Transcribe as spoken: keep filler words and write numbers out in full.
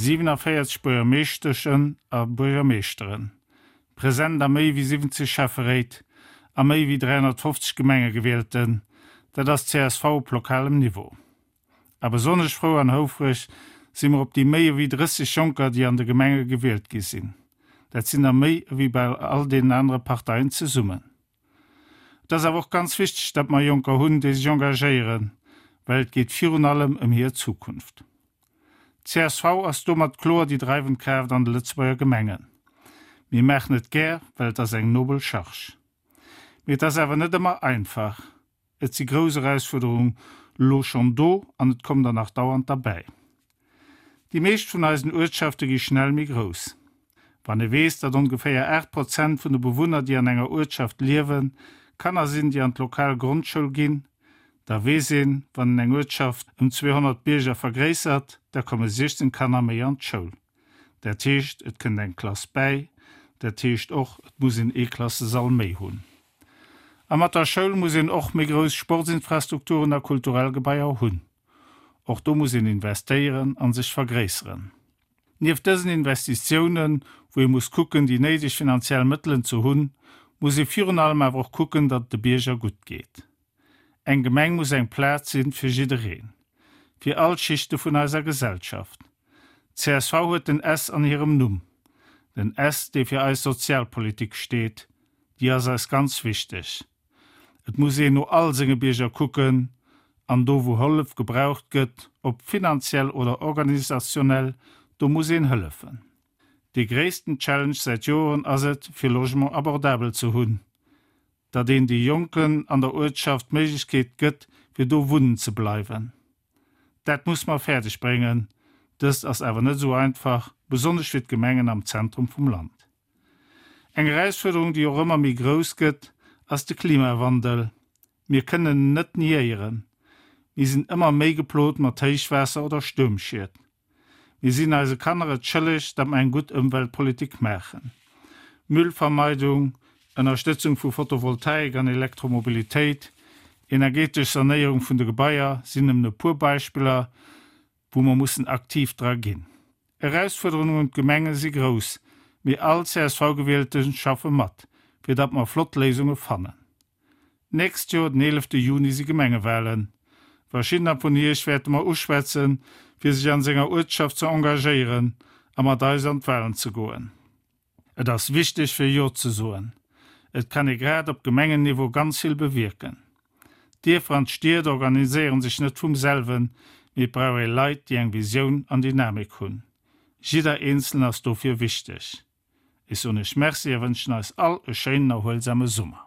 siewenanvéierzeg Buergermeeschteschen a Buergermeeschteren, present a méi wéi siwwenzeg Schäfferéit a méi wéi dräihonnertfofzeg Gemengegewielten, dat ass csv op lokalem Niveau. A besonnesch frou an houfreg si mer op déi méi ewéi drësseg Jonker, déi an de Gemenge gewielt gi sinn. Dat sinn der méi ewéi bei all deenen anere Parteien zesummen. Et ass awer och ganz wichteg, datt mer Jonker hunn, déi sech engagéieren, well et geet virun allem ëm hir Zukunft. Csv ass domat kloer déi dreiwend Kraaft an de Lëtzebuerger Gemengen. Mir maachen et gär, well et ass eng nobel Charge. Mee et ass awer net ëmmer einfach. Et si grouss Erausfuerderungen elo schonn do an et kommen der nach dauernd derbäi. Déi meescht vun eisen Uertschafte gi schnell méi grouss. Wann ee weess, datt ongeféier aacht Prozent vun de Bewunner, déi an enger Uertschaft liewen, Kanner sinn, déi an d'lokal Grondschoul ginn, da weess een, wann een eng Uertschaft ëm zweehonnert Bierger vergréissert, da komme siechzéng Kanner méi an d'Schoul. Dat heescht, et kënnt eng Klass bäi. Dat heescht och, et muss een ee Klassesall méi hunn. A mat der Schoul muss een och méi grouss Sportsinfrastrukturen a kulturell Gebaier hunn. Och do muss een investéieren a sech vergréisseren. Nieft dësen Investitiounen, wou ee muss kucken, déi néideg finanziell Mëttelen ze hunn, muss ee virun allem awer och kucken, datt et de Bierger gutt geet. Eng Gemeng muss eng Plaz sinn fir jiddereen, fir all d'Schichte vun eiser Gesellschaft. Csv huet den S an hirem Numm. Den S, dee fir eis Sozialpolitik steet, déi ass eis ganz wichteg. Et muss een no all senge Bierger kucken an do wou Hëllef gebraucht gëtt, ob finanziell oder organisationell, do muss een hëllefen. Dee gréissten Challenge säit Joren ass et, fir Logement abordabel ze hunn, datt een de Jonken an der Uertschaft d'Méiglechkeet gëtt, fir do wunnen ze bleiwen. Dat muss mer fäerdeg bréngen. Dëst ass awer net esou einfach, besonnesch fir d'Gemengen am Zentrum vum Land. Eng Erausfuerderung, déi och ëmmer méi grouss gëtt, ass de Klimawandel. Mir kënnen en net niéieren. Mir sinn ëmmer méi geplot mat Héichwaasser oder Stuermschied. Mir sinn eise Kanner et schëlleg, datt mer eng gutt Ëmweltpolitik maachen. Müllvermeidung, Ënnerstëtzung vu Photovoltaik an Elektromobilitéit, energetesch Sanéierung vun de Gebaier sinn nëmmen e puer Beispiller, wou mer mussen aktiv dra ginn. Erausfuerderungen un d'Gemenge si grouss, mee all C S V-Gewielte schaffe mat, fir datt mer flott Léisunge fannen. D'nächst Joer den eelefte Juni si Gemengewalen. Verschiddener vun iech wäerte mer uschwätzen, fir sech an senger Uertschaft ze engagéieren a mat eis an d'Walen ze goen. Et ass wichteg fir Jo ze soen. Et kann ee grad op Gemengenniveau ganz vill bewierken. D'Dierfer an d'Stied organiséieren sech net vum selwen, mee et brauch ee Leit, déi eng Visioun an Dynamik hunn. Jidder Eenzelen ass dofir wichteg. Ech soen iech Merci a wënschen eis all e schéinen erhuelsame Summer.